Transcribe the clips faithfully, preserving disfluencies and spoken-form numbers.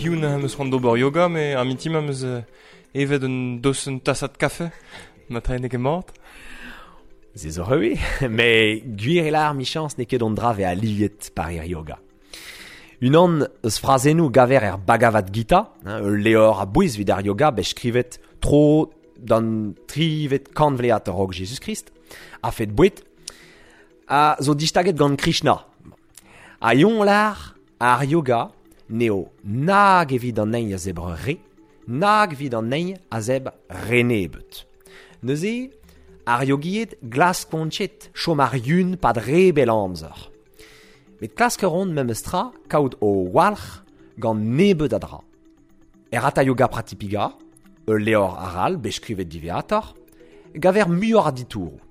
Hiziv am eus c'hoant d'ober yoga, met ar mintin am eus evet un dosenn tasad kafe, ma tra n'eo ket mat. Se zo rewe, met gwir e lar michans n'eo ket an dra ve aliet par ir yoga. Unan eus frazennoù gaver er Bhagavad Gita, hein, ul levr a bouez evit ar yoga bet skrivet tro d'an trivet kantvlead a-raok Jezuz-Krist, a fed boued, a zo distaget gant Krishna. A yon lar ar yoga n'eo nag evit an ein a zebr re, nag evit an ein a zebr re nebeut. Neuze, ar yogied glaskontchet chom ar yun pad re bel amzer. Met klask a ran memes tra kaout o walc'h gant nebeut a dra. Er Hatha Yoga Pradipika, ul levr aral bet skrivet diwezhatoc'h, gaver muioc'h a ditouroù.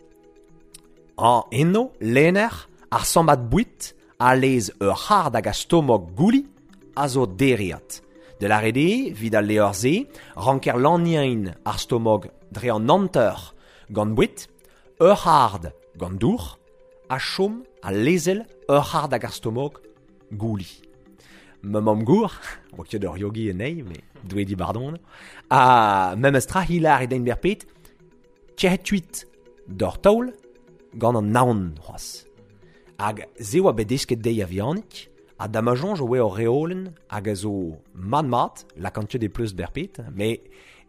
An eno, lenner, ar sammad boued a lez ur c'hard hag a stomog gouli a zo dereat. De la rede, vid al levr-se, ranker laniain ar stomog dre an hanter gant boued, ur c'hard gant dour, a chom a lezel ur c'hard hag ar stomog gouli. Ma mamm-gour, oa ket ur yogi anezhi, met Doue di bardon, a memes tra hilar e den berpet, tc'het tuit d'ur taol gant an naon c'hoazh. Hag se oa bet desket dezhi a-vihanik, ha da ma soñj oa ur reolenn hag a zo mat-mat, lakaat ket e pleustr berpet, met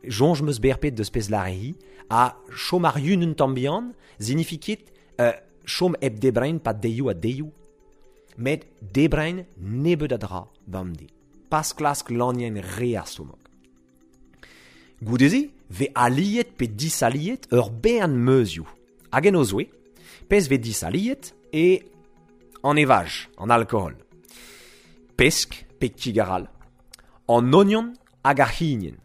soñj 'm eus berpet deus pezh lâre hi, ha chom ar yun un tamm bihan, zinifi ket euh, chom hep debrein pa deioù ha deioù, met debrein nebeut a dra bemdez. Pas klask lanienn re ar stomog. Goude-se, ve aliet pe disaliet ur bern meuzioù. Hag en o zouez, pezh ve disaliet e an evaj, an alkohol. Pesk pe kig arall, an ognon hag ar c'hignen.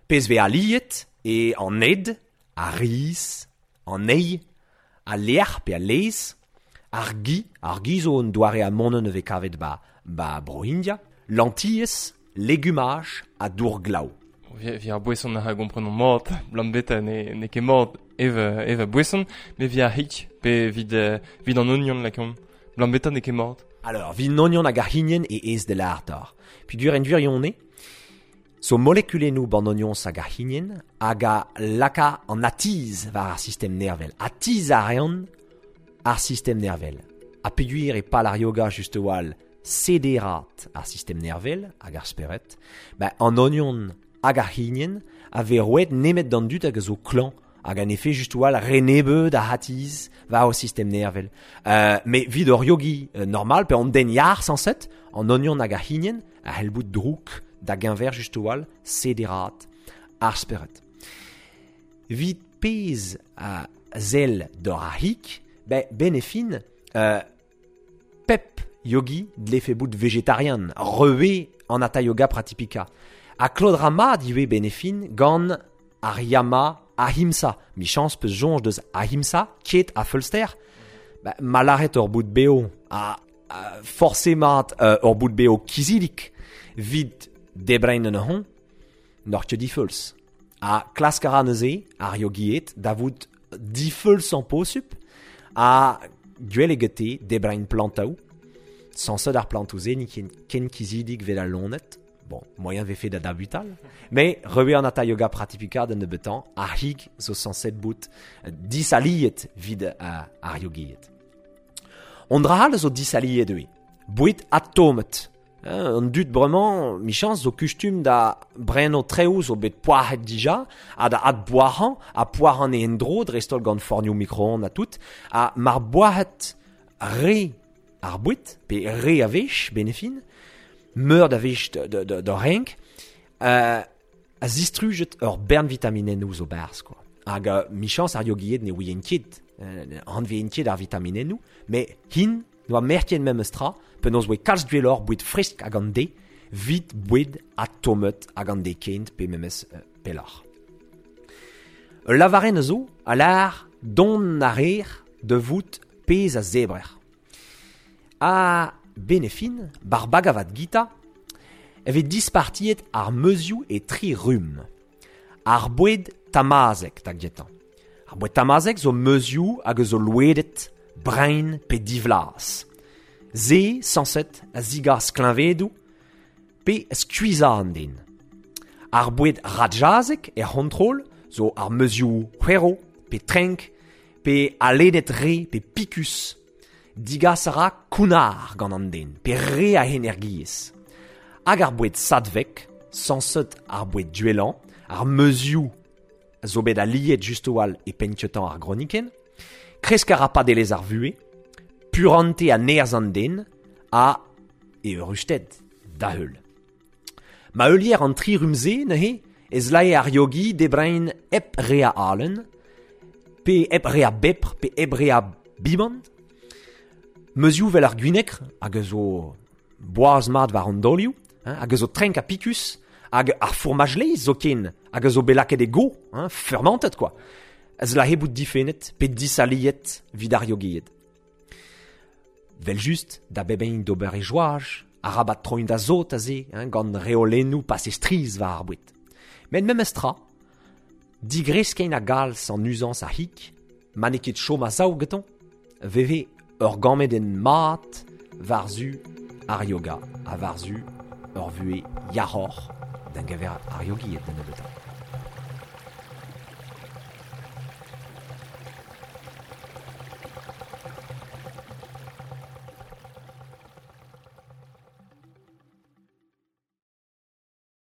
Pezh ve aliet e an ed, ar riz, an eil, al lec'h pe al laezh, ar gi, ar gi zo un doare amonenn e vez kavet ba, ba Bro-India, lentilles, legumaj ha dour glav. Vi ar boeson a gomprenomp mat, blam beta ne, ne ket mat ev, ev a boeson, met vi ar hik, pe vid, vid an ognon lakomp. Blam beta ne ket mat. Alors, vid an ognon hag ar c'hignen e ez de l'artor. Peogwir en gwirionez, zo molekulennoù ban ognons hag ar c'hignen hag a laka an atiz war ar sistem nervel. Atiz a reont ar sistem nervel. Ha peogwir e pal ar yoga just a-walc'h sederat ar sistem nervel hag ar spered, ba an ognon hag ar c'hignen a vez roet nemet d'an dud hag a zo klañv hag an efe just a-walc'h re nebeut a atiz war o sistem nervel. Euh, met vid ur yogi euh, normal, pe an den yar sañset, an ognon hag ar c'hignen a c'hell bout drouk da geñver just a-walc'h sederat ar spered. Vit pezh a sell d'or ar c'hig, ben, benefin, euh, pep yogi dlefe bout vegetarian, rewe an Hatha Yoga Pradipika. Ha klot ra mat ivez benefin gant ar yama ahimsa. Michans peus soñj deus ahimsa, ket a feulster. Ba, ma lâret ur bout beo, a, a forcément euh, ur bout beo kizidik vid debrein an hon, n'oc'h ket difeuls. Ha klask a ra neuze, ar yogied, da vout difeuls an posup, ha gwell eo gete debrein plantaoù, sañset ar plantoù-se n'int ken, ken kizidik vel al loened. Bon, moaien vefe da dabutal. Mais rewe an Hatha Yoga Pradipika d'an nebeutañ, ar c'hig zo sañset bout disaliet vid uh, ar yogied. On dra all zo disaliet ivez. Boued atomet. Hein, an dud bremañ, michans zo kustum da breno treoù zo bet poazhet dija, ha da adboazhañ, ha poazhañ e en-dro, dreist-holl gant fornioù micro-ondes ha tout, ha mar boazhet re ar boued, pe re a wech, benefin, meur da wech de, de, de, de renk, euh, a zistrujet ur bern vitaminennoù zo barzh, quoi. Hag uh, michans ar yogied ne ouient ket, euh, anveent ket ar vitaminennoù, met hin noa merket memes tra, penaos oa kalz gwelloc'h boued fresk hag an de, vit boued atomet hag an de kent pe memes euh, pelloc'h. Ul lavarenn zo a lâr dont a reer da vout pezh a zebrer. Ha benefin, bar Bhagavad Gita, e vez dispartiet ar meuzioù e tri rumm. Ar boued tamazek da gentañ. Ar boued tamazek zo meuzioù hag a zo louedet, brein pe divlaz. Se, sañset, a zigas kleñvedoù, pe skuiza an den. Ar boued rajazek er c'hontrol zo ar meuzioù c'hwero, pe trenk, pe aledet re, pe pikus. Digas a ra kounar gant an den, pe re a energiezh. Hag ar boued sadvek, sañset ar boued duelan, ar meuzioù zo bet aliet just oal e penn-kentañ ar gronikenn, kresk a ra padelezh ar vuhez, purante a nerzh an den, a eürusted da heul. Ma heulier an tri rumze, neuze, ez lae ar yogi debrein hep re a alen, pe hep re a bepr, pe hep re a bimant. Meuzioù vel ar gwinekr, hag a zo boaz mat war an dolioù, hein, hag a zo trenk ha pikus, hag ar fourmaj laezh zoken, hag a zo bet lakaet e go, hein, fermentet quoi. Ez lahe bout difennet, pe disaliet vid ar yogied. Vel just, da bebein d'ober e joaj, arabat troin da zot aze, hein, gant reolennoù pase striz war ar boued. Met memes tra, digreskein a galz an uzañs a hik, ma n'eo ket chom a sav gantañ, veve ur gammed en mat war-zu ar yoga, ha war-zu ur vuhez yac'hoc'h d'an gaver ar yogied da nebeutañ.